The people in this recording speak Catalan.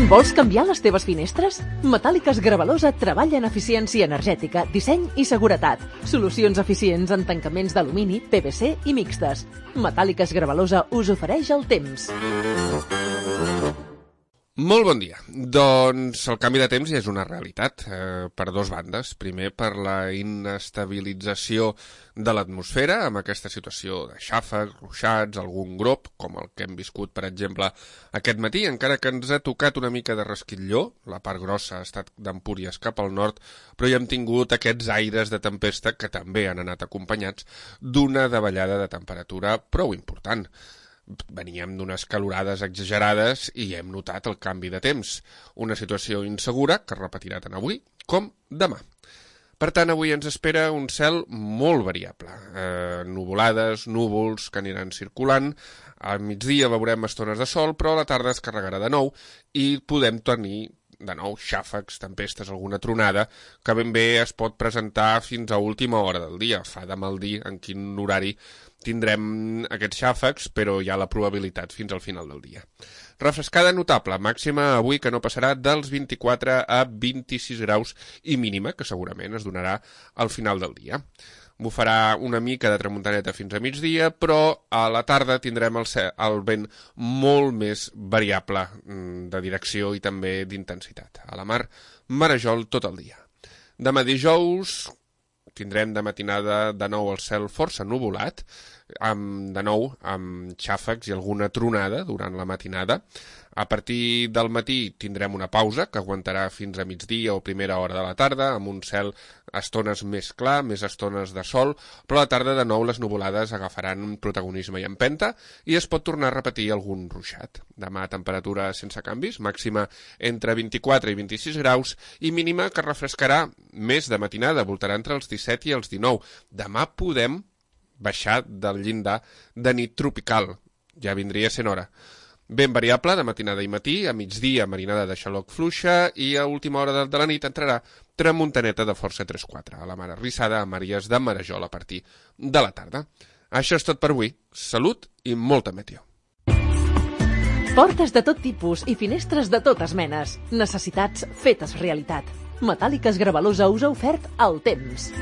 Vols canviar les teves finestres? Metàl·liques Gravalosa treballa en eficiència energètica, disseny i seguretat. Solucions eficients en tancaments d'alumini, PVC i mixtes. Metàl·liques Gravalosa us ofereix el temps. Molt bon dia. Doncs el canvi de temps ja és una realitat per dues bandes. Primer, per la inestabilització de l'atmosfera, amb aquesta situació de xàfecs, ruixats, algun grop, com el que hem viscut, per exemple, aquest matí, encara que ens ha tocat una mica de resquitlló, la part grossa ha estat d'Empúries cap al nord, però ja hem tingut aquests aires de tempesta que també han anat acompanyats d'una davallada de temperatura prou important. Veníem d'unes calorades exagerades i hem notat el canvi de temps, una situació insegura que es repetirà tant avui com demà. Per tant, avui ens espera un cel molt variable, nuvolades, núvols que aniran circulant, al migdia veurem estones de sol, però a la tarda es carregarà de nou i podem tenir de nou xàfecs, tempestes, alguna tronada, que ben bé es pot presentar fins a última hora del dia. Fa de mal dir en quin horari tindrem aquests xàfecs, però hi ha la probabilitat fins al final del dia. Refrescada notable, màxima avui que no passarà dels 24 a 26 graus i mínima, que segurament es donarà al final del dia. Bufarà una mica de tramuntaneta fins a migdia, però a la tarda tindrem el vent molt més variable de direcció i també d'intensitat. A la mar, marejol tot el dia. Demà dijous tindrem de matinada de nou el cel força nuvolat, de nou amb xàfecs i alguna tronada durant la matinada. A partir del matí tindrem una pausa que aguantarà fins a migdia o primera hora de la tarda, amb un cel estones més clar, més estones de sol, però a la tarda de nou les nuvolades agafaran protagonisme i empenta i es pot tornar a repetir algun ruixat. Demà temperatura sense canvis, màxima entre 24 i 26 graus i mínima que refrescarà més de matinada, voltarà entre els 17 i els 19. Demà podem baixar del llindar de nit tropical, ja vindria sent hora. Ben variable de matinada i matí, a migdia marinada de xaloc fluixa i a última hora de la nit entrarà tramuntaneta de força 3-4, a la mar arrissada a Màries de Marejol a partir de la tarda. Això és tot per avui. Salut i molta meteo. Portes de tot tipus i finestres de totes menes. Necessitats fetes realitat. Metàl·liques Gravalosa us ha ofert el temps.